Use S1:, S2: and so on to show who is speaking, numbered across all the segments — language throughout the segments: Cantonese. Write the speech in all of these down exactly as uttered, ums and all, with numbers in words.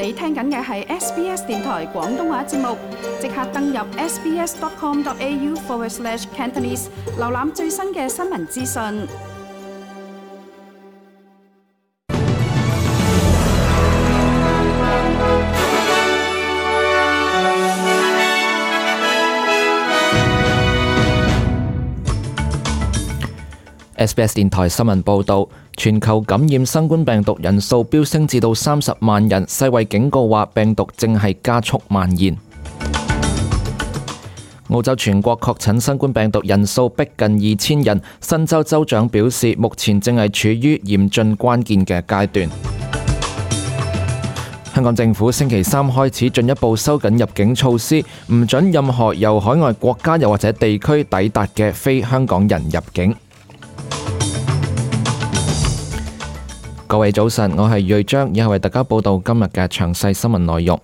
S1: 你聽緊嘅係 S B S 電台廣東話節目，即刻登入 sbs.com.au forward slash Cantonese， 瀏覽最新嘅新聞資訊。
S2: S B S 電台新聞報導，全球感染新冠病毒人數飆升至到三十萬人，世衛警告話病毒正係加速蔓延。澳洲全國確診新冠病毒人數逼近二千人，新州州長表示目前正係處於嚴峻關鍵嘅階段。香港政府星期三開始進一步收緊入境措施，唔准任何由海外國家又或者地區抵達嘅非香港人入境。各位早晨，我係瑞章，以下為大家報道今日嘅詳細新聞內容。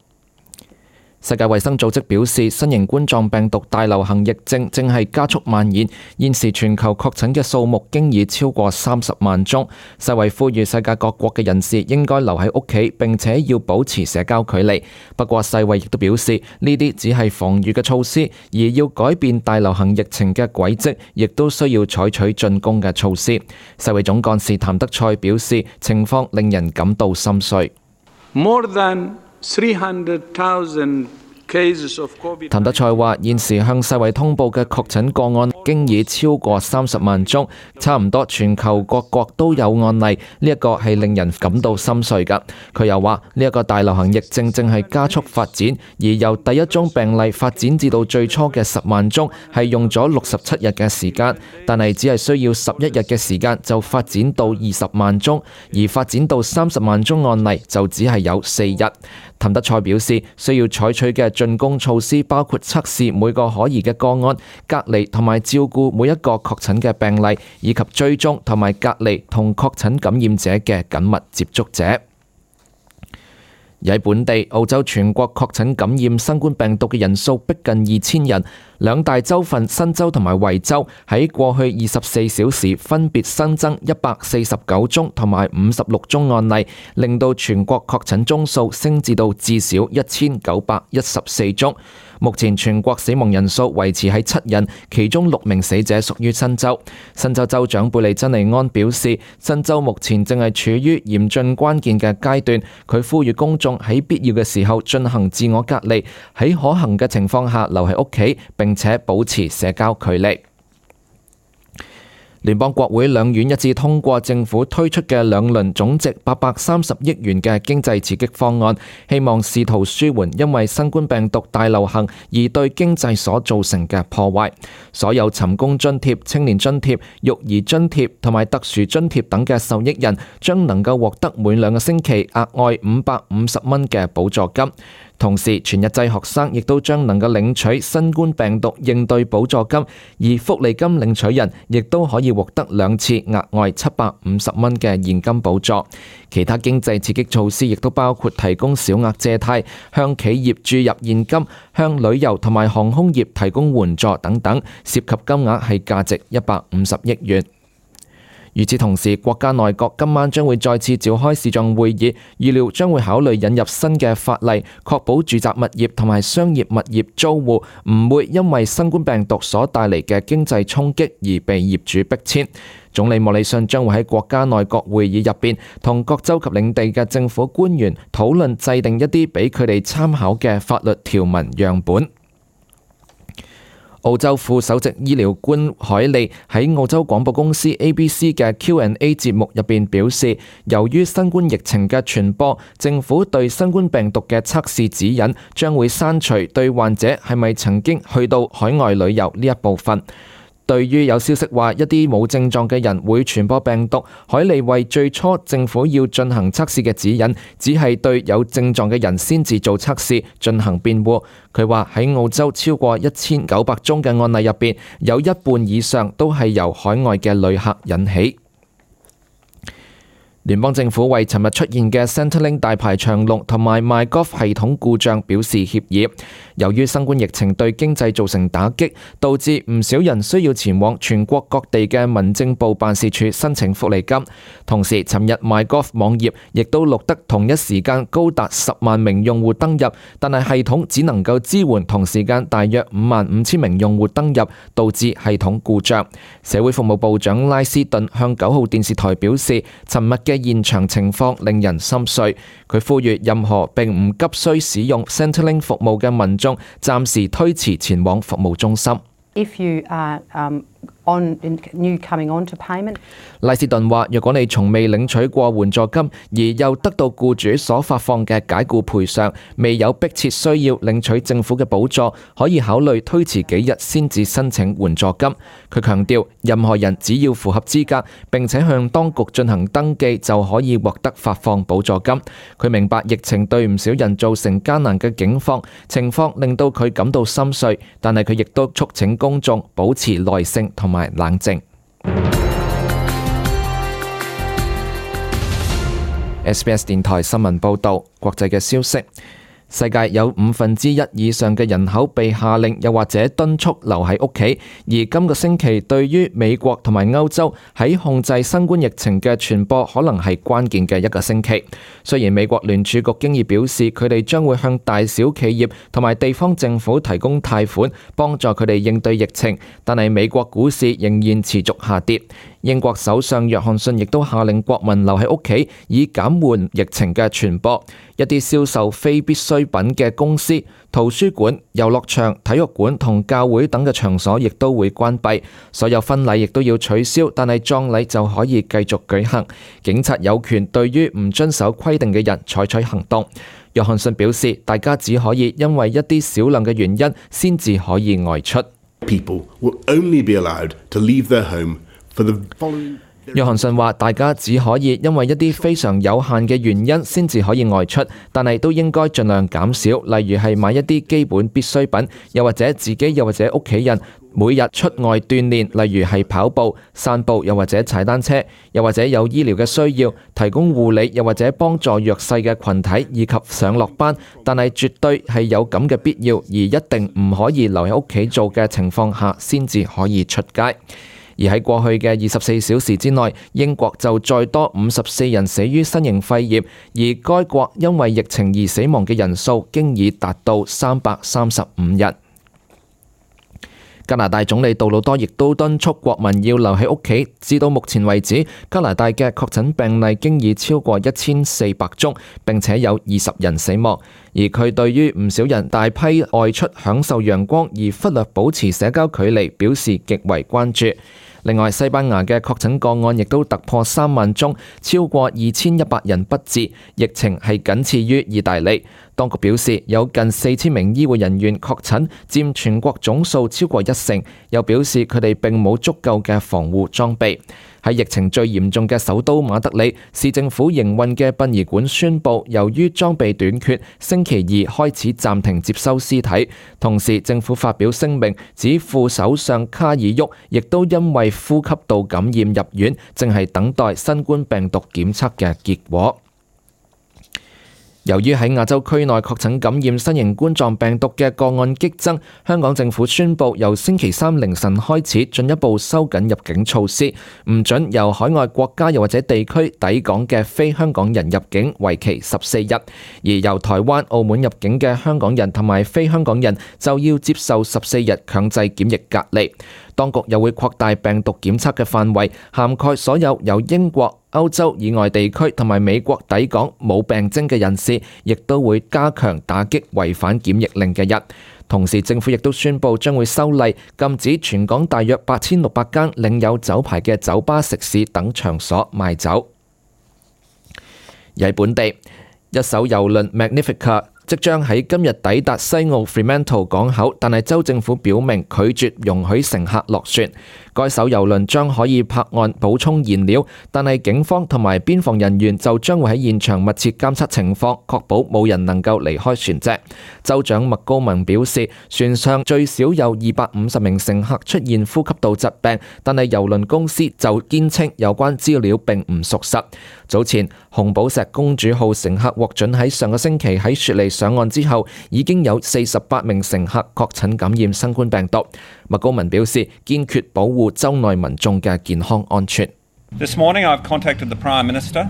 S2: 世界衛生組織表示，新型冠狀病毒大流行疫症正係加速蔓延，現時全球確診嘅數目經已超過三十萬宗。世衛呼籲世界各國嘅人士應該留喺屋企，並且要保持社交距離。不過世衛亦都表示，呢啲只係防禦嘅措施，而要改變大流行疫情嘅軌跡，亦都需要採取進攻嘅措施。世衛總幹事譚德塞表示，情況令人感到心碎。
S3: More than three hundred thousand cases of COVID。
S2: 譚德塞話：現時向世衛通報嘅確診個案經已超過三十萬宗，差唔多全球各國都有案例，呢一個係令人感到心碎㗎。佢又話：呢一個大流行疫症正係加速發展，而由第一宗病例發展至到最初嘅十萬宗，係用咗六十七日嘅時間，但係只係需要十一日嘅時間就發展到二十萬宗，而發展到三十萬宗案例就只係有四日。譚德塞表示，需要採取嘅進攻措施包括測試每個可疑嘅個案、隔離同埋照顧每一個確診嘅病例，以及追蹤同埋隔離同確診感染者嘅緊密接觸者。而喺本地，澳洲全國確診感染新冠病毒嘅人數逼近二千人，兩大州份新州同埋維州喺過去二十四小時分別新增一百四十九宗同埋五十六宗案例，令到全國確診宗數升至到至少一千九百一十四宗。目前全國死亡人數維持喺七人，其中六名死者屬於新州。新州州長貝利珍尼安表示，新州目前正係處於嚴峻關鍵嘅階段。佢呼籲公眾喺必要嘅時候進行自我隔離，喺可行嘅情況下留喺屋企，並且保持社交距離。聯邦國會兩院一致通過政府推出嘅兩輪總值八百三十億元嘅經濟刺激方案，希望試圖舒緩因為新冠病毒大流行而對經濟所造成嘅破壞。所有尋工津貼、青年津貼、育兒津貼同埋特殊津貼等嘅受益人將能夠獲得每兩個星期額外五百五十蚊嘅補助金。同時，全日制學生亦都將能夠領取新冠病毒應對補助金，而福利金領取人亦都可以獲得兩次額外七百五十蚊嘅現金補助。其他經濟刺激措施亦都包括提供小額借貸、向企業注入現金、向旅遊同埋航空業提供援助等等，涉及金額係價值一百五十億元。與此同時，國家內閣今晚將會再次召開視像會議，預料將會考慮引入新嘅法例，確保住宅物業同埋商業物業租戶唔會因為新冠病毒所帶嚟嘅經濟衝擊而被業主逼遷。總理莫里遜將會喺國家內閣會議入邊同各州及領地嘅政府官員討論制定一啲俾佢哋參考嘅法律條文樣本。澳洲副首席醫療官海利喺澳洲廣播公司 A B C 嘅 Q and A 節目入邊表示，由於新冠疫情嘅傳播，政府對新冠病毒嘅測試指引將會刪除對患者係咪曾經去到海外旅遊呢一部分。對於有消息話一啲冇症狀嘅人會傳播病毒，海利為最初政府要進行測試嘅指引，只係對有症狀嘅人先至做測試進行辯護。佢話喺澳洲超過一千九百宗嘅案例入邊，有一半以上都係由海外嘅旅客引起。聯邦政府為尋日出現嘅 Centrelink 大排長龍同埋 MyGov 系統故障表示歉意。由於新冠疫情對經濟造成打擊，導致唔少人需要前往全國各地嘅民政部辦事處申請福利金。同時，尋日 MyGov 網頁亦都錄得同一時間高達十萬名用戶登入，但係系統只能夠支援同時間大約五萬五千名用戶登入，導致系統故障。社會服務部長拉斯頓向九號電視台表示，尋日嘅現場情況令人心碎。佢呼籲任何並唔急需使用 Centrelink 服務嘅民眾暫時推遲前往服務中心。
S4: If you are, um On, new coming on to payment.
S2: 拉斯頓話：若果你從未領取過援助金，而又得到僱主所發放嘅解僱賠償，未有迫切需要領取政府嘅補助，可以考慮推遲幾日先至申請援助金。佢強調，任何人只要符合資格並且向當局進行登記，就可以獲得發放補助金。佢明白疫情對唔少人造成艱難嘅境況，情況令到佢感到心碎，但係佢亦都促請公眾保持耐性同埋冷靜。S B S 電台新聞報道，國際嘅消息。世界有五分之一以上嘅人口被下令又或者敦促留喺屋企，而今個星期對於美國同埋歐洲喺控制新冠疫情嘅傳播可能係關鍵嘅一個星期。雖然美國聯儲局經已表示佢哋將會向大小企業同埋地方政府提供貸款，幫助佢哋應對疫情，但係美國股市仍然持續下跌。英國首相約翰遜亦都下令國民留喺屋企，以減緩疫情嘅傳播。一啲銷售非必需品嘅公司、圖書館、遊樂場、體育館同教會等嘅場所亦都會關閉。所有婚禮亦都要取消，但係葬禮就可以繼續舉行。警察有權對於唔遵守規定嘅人採取行動。約翰遜表示，大家只可以因為一啲少量嘅原因先至可以外出。
S5: People will only be allowed to leave their home for the following。
S2: 約翰遜話：大家只可以因為一啲非常有限嘅原因先至可以外出，但係都應該盡量減少，例如係買一啲基本必需品，又或者自己又或者屋企人每日出外鍛煉，例如係跑步、散步，又或者踩單車，又或者有醫療嘅需要，提供護理，又或者幫助弱勢嘅群體，以及上落班。但係絕對係有咁嘅必要，而一定唔可以留喺屋企做嘅情況下，先至可以出街。而喺過去嘅二十四小時之內，英國就再多五十四人死於新型肺炎，而該國因為疫情而死亡嘅人數經已達到三百三十五人。加拿大總理杜魯多亦都敦促國民要留喺屋企。至到目前為止，加拿大嘅確診病例經已超過一千四百宗，並且有二十人死亡。而佢對於唔少人大批外出享受陽光而忽略保持社交距離表示極為關注。另外，西班牙嘅確診個案亦都突破三萬宗，超過二千一百人不治，疫情係僅次於意大利。當局表示有近四千名醫護人員確診，佔全國總數超過一成，又表示佢哋並冇足夠嘅防護裝備。喺疫情最嚴重嘅首都馬德里，市政府營運嘅殯儀館宣布，由於裝備短缺，星期二開始暫停接收屍體。同時，政府發表聲明，指副首相卡爾沃亦都因為呼吸道感染入院，正係等待新冠病毒檢測嘅結果。由於喺亞洲區內確診感染新型冠狀病毒嘅個案激增，香港政府宣布由星期三凌晨開始進一步收緊入境措施，唔准由海外國家又或者地區抵港嘅非香港人入境，為期十四日；而由台灣、澳門入境嘅香港人同埋非香港人就要接受十四日強制檢疫隔離。當局又會擴大病毒檢測嘅範圍，涵蓋所有由英國、歐洲以外地區同埋美國抵港冇病徵嘅人士，亦都會加強打擊違反檢疫令嘅人。同時，政府亦都宣布將會修例，禁止全港大約八千六百間領有酒牌嘅酒吧、食肆等場所賣酒。而喺本地，一艘郵輪 Magnifica 即將喺今日抵達西澳 Fremantle 港口，但係州政府表明拒絕容許乘客落船。該艘郵輪將可以泊岸補充燃料，但係警方同埋邊防人員就將會喺現場密切監測情況，確保冇人能夠離開船隻。州長麥高文表示，船上最少有二百五十名乘客出現呼吸道疾病，但係郵輪公司就堅稱有關資料並唔屬實。早前紅寶石公主號乘客獲准喺上個星期喺雪梨上岸之後，已經有四十八名乘客確診感染新冠病毒。麥高文表示，堅決保護州內民眾嘅健康安全。
S6: This morning I've contacted the Prime Minister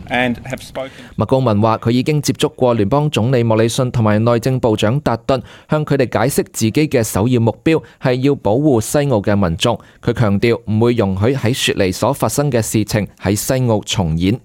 S6: and have spoken.
S2: 麥高文話：佢已經接觸過聯邦總理莫里遜同埋內政部長達頓，向佢哋解釋自己嘅首要目標係要保護西澳嘅民眾。佢強調唔會容許喺雪梨所發生嘅事情喺西澳重演。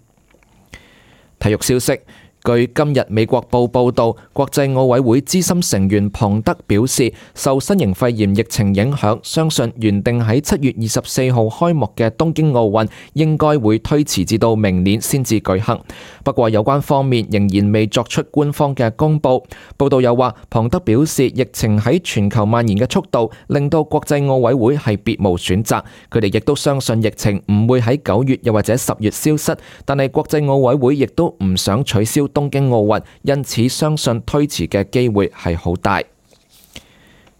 S2: 體育消息。據今日美國報報導，國際奧委會資深成員龐德表示，受新型肺炎疫情影響，相信原定喺七月二十四號開幕嘅東京奧運應該會推遲至到明年先至舉行。不過有關方面仍然未作出官方嘅公佈。報道又話，龐德表示，疫情喺全球蔓延嘅速度令到國際奧委會係別無選擇。佢哋亦都相信疫情唔會喺九月又或者十月消失，但係國際奧委會亦都唔想取消東京奧運，因此相信推遲嘅機會係好大。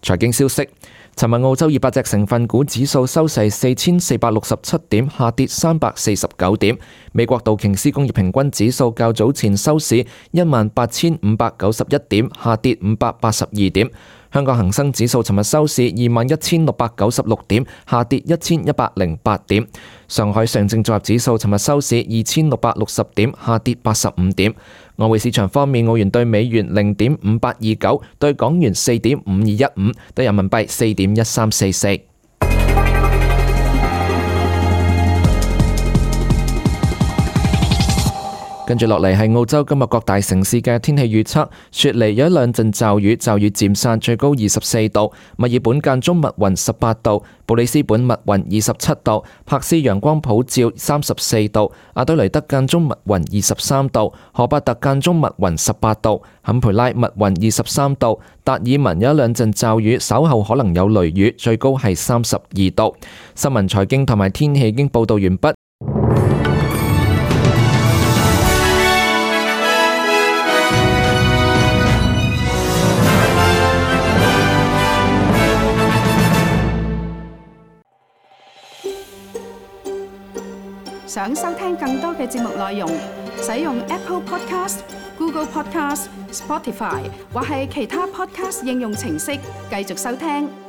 S2: 財經消息，尋日澳洲二百隻成分股指數收市四千四百六十七點，下跌三百四十九點。美國道瓊斯工業平均指數較早前收市一萬八千五百九十一點，下跌五百八十二點。香港恒生指數尋日收市二萬一千六百九十六點，下跌一千一百零八點。上海上證綜合指數尋日收市二千六百六十點，下跌八十五點。外匯市場方面，澳元對美元零點五八二九，對港元四點五二一五，對人民幣四點一三四四。跟住落嚟係澳洲今日各大城市嘅天氣預測。雪梨有一兩陣驟雨，驟雨漸散，最高二十四度。墨爾本間中密雲十八度，布里斯本密雲二十七度，柏斯陽光普照三十四度，阿德雷德間中密雲二十三度，荷伯特間中密雲十八度，坎培拉密雲二十三度，達爾文有一兩陣驟雨，稍後可能有雷雨，最高係三十二度。新聞財經同埋天氣已經報道完畢。
S1: 想收聽更多嘅節目內容，使用 Apple Podcast、Google Podcast、Spotify 或係其他 Podcast 應用程式繼續收聽。